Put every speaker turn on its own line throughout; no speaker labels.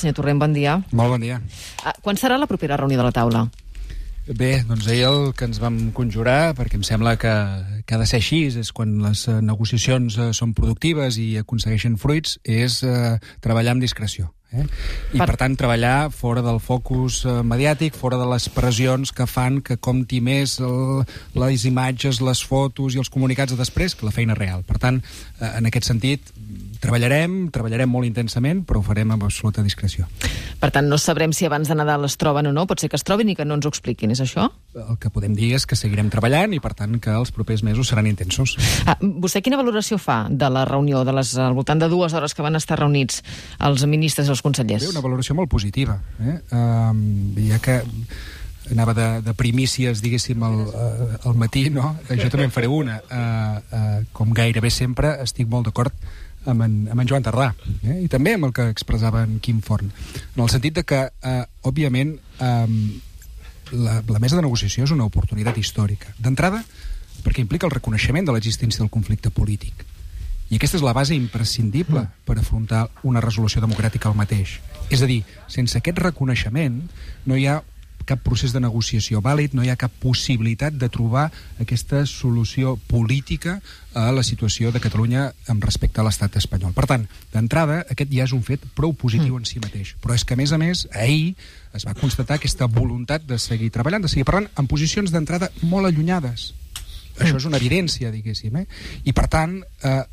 senyor Torrent, bon dia.
Molt bon dia.
Quan serà la propera reunió de la taula?
Bé, doncs ahir el que ens vam conjurar, perquè em sembla que ha de ser així, és quan les negociacions són productives i aconsegueixen fruits, és treballar amb discreció. I per tant treballar fora del focus mediàtic, fora de les pressions que fan que compti més les imatges, les fotos i els comunicats de després que la feina real. Per tant, en aquest sentit, treballarem molt intensament, però ho farem amb absoluta discreció.
Per tant, no sabrem si abans de Nadal es troben o no, pot ser que es trobin i que no ens ho expliquin, és això?
El que podem dir és que seguirem treballant i per tant que els propers mesos seran intensos.
Vostè quina valoració fa de la reunió, al voltant de 2 hores que van estar reunits els ministres i els consellers?
Bé, una valoració molt positiva. Ja que anava de primícies, diguéssim, al matí, no? Jo també en faré una. Com gairebé sempre, estic molt d'acord amb en Joan Tardà, i també amb el que expressava en Quim Forn, en el sentit de que, òbviament, la mesa de negociació és una oportunitat històrica. D'entrada, perquè implica el reconeixement de l'existència del conflicte polític. I aquesta és la base imprescindible per afrontar una resolució democràtica al mateix. És a dir, sense aquest reconeixement no hi ha cap procés de negociació vàlid, no hi ha cap possibilitat de trobar aquesta solució política a la situació de Catalunya amb respecte a l'estat espanyol. Per tant, d'entrada, aquest ja és un fet prou positiu en si mateix. Però és que, a més, ahir es va constatar aquesta voluntat de seguir treballant, de seguir parlant, en posicions d'entrada molt allunyades. Això és una evidència, diguéssim. I, per tant,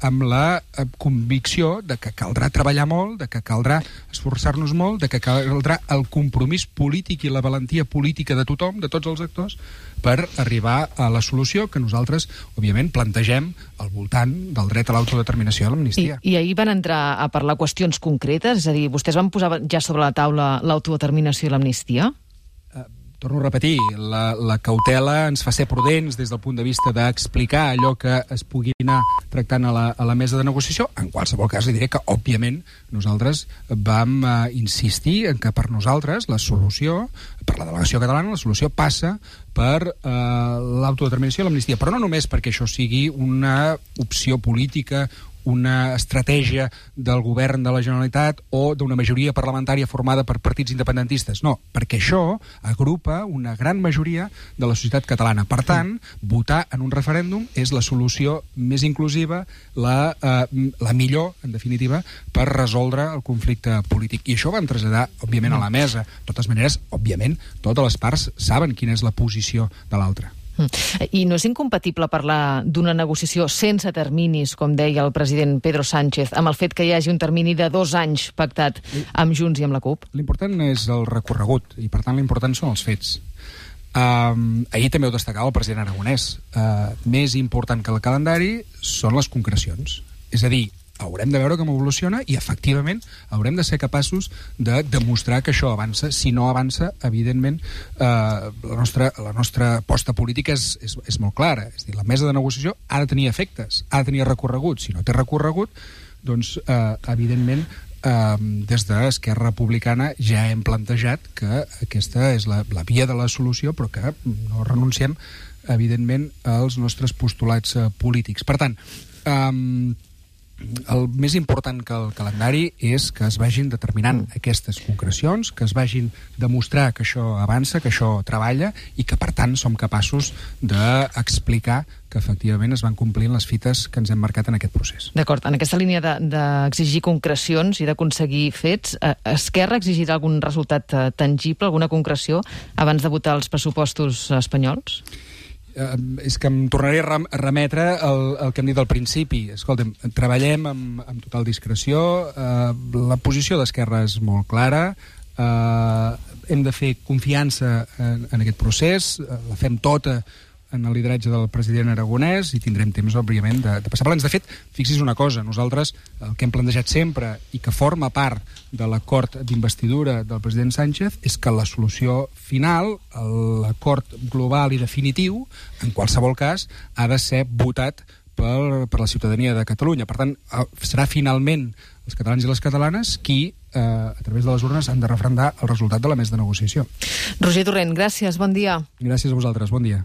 amb la convicció de que caldrà treballar molt, de que caldrà esforçar-nos molt, de que caldrà el compromís polític i la valentia política de tothom, de tots els actors, per arribar a la solució que nosaltres, òbviament, plantegem al voltant del dret a l'autodeterminació i a l'amnistia.
I ahir van entrar a parlar qüestions concretes? És a dir, vostès van posar ja sobre la taula l'autodeterminació i l'amnistia?
Torno a repetir, la cautela ens fa ser prudents des del punt de vista d'explicar allò que es pugui anar tractant a la mesa de negociació. En qualsevol cas, li diré que, òbviament, nosaltres vam insistir en que per nosaltres la solució, per la delegació catalana, la solució passa per l'autodeterminació i l'amnistia. Però no només perquè això sigui una opció política, una estratègia del govern de la Generalitat o d'una majoria parlamentària formada per partits independentistes. No, perquè això agrupa una gran majoria de la societat catalana. Per tant, votar en un referèndum és la solució més inclusiva, la millor, en definitiva, per resoldre el conflicte polític. I això ho van traslladar, òbviament, a la mesa. De totes maneres, òbviament, totes les parts saben quina és la posició de l'altra.
I no és incompatible parlar d'una negociació sense terminis, com deia el president Pedro Sánchez, amb el fet que hi hagi un termini de 2 anys pactat amb Junts i amb la CUP?
L'important és el recorregut, i per tant l'important són els fets. Ahir també ho destacava el president Aragonès. Més important que el calendari són les concrecions. És a dir, haurem de veure com evoluciona i, efectivament, haurem de ser capaços de demostrar que això avança. Si no avança, evidentment, la nostra aposta política és molt clara. És a dir, la mesa de negociació ha de tenir efectes, ha de tenir recorregut. Si no té recorregut, doncs, evidentment, des d'Esquerra Republicana ja hem plantejat que aquesta és la via de la solució, però que no renunciem, evidentment, als nostres postulats polítics. Per tant, el més important que el calendari és que es vagin determinant aquestes concrecions, que es vagin demostrar que això avança, que això treballa i que, per tant, som capaços d'explicar que efectivament es van complint les fites que ens hem marcat en aquest procés.
D'acord. En aquesta línia d'exigir concrecions i d'aconseguir fets, Esquerra exigirà algun resultat tangible, alguna concreció, abans de votar els pressupostos espanyols?
És que em tornaré a remetre el que hem dit al principi. Escolta'm, treballem amb total discreció, la posició d'Esquerra és molt clara, hem de fer confiança en aquest procés, la fem tota en el lideratge del president Aragonès i tindrem temps, òbviament, de passar plans. De fet, fixi's una cosa, nosaltres el que hem plantejat sempre i que forma part de l'acord d'investidura del president Sánchez és que la solució final, l'acord global i definitiu, en qualsevol cas, ha de ser votat per la ciutadania de Catalunya. Per tant, serà finalment els catalans i les catalanes qui, a través de les urnes, han de referendar el resultat de la mesa de negociació.
Roger Torrent, gràcies, bon dia.
Gràcies a vosaltres, bon dia.